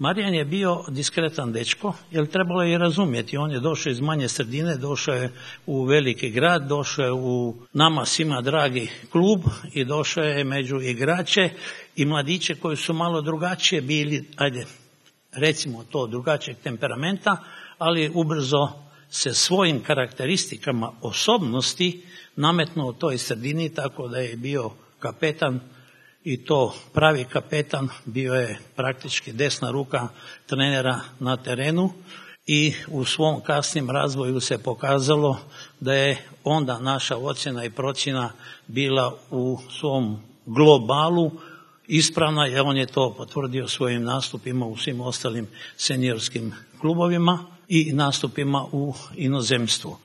Marijan je bio diskretan dečko, jer trebalo je i razumjeti. On je došao iz manje sredine, došao je u veliki grad, došao je u nama svima dragi klub i došao je među igrače i mladiće koji su malo drugačije bili, ajde, recimo to, drugačijeg temperamenta, ali ubrzo se svojim karakteristikama osobnosti nametnuo toj sredini, tako da je bio kapetan, i to pravi kapetan, bio je praktički desna ruka trenera na terenu i u svom kasnim razvoju se pokazalo da je onda naša ocjena i procjena bila u svom globalu ispravna, jer on je to potvrdio svojim nastupima u svim ostalim seniorskim klubovima i nastupima u inozemstvu.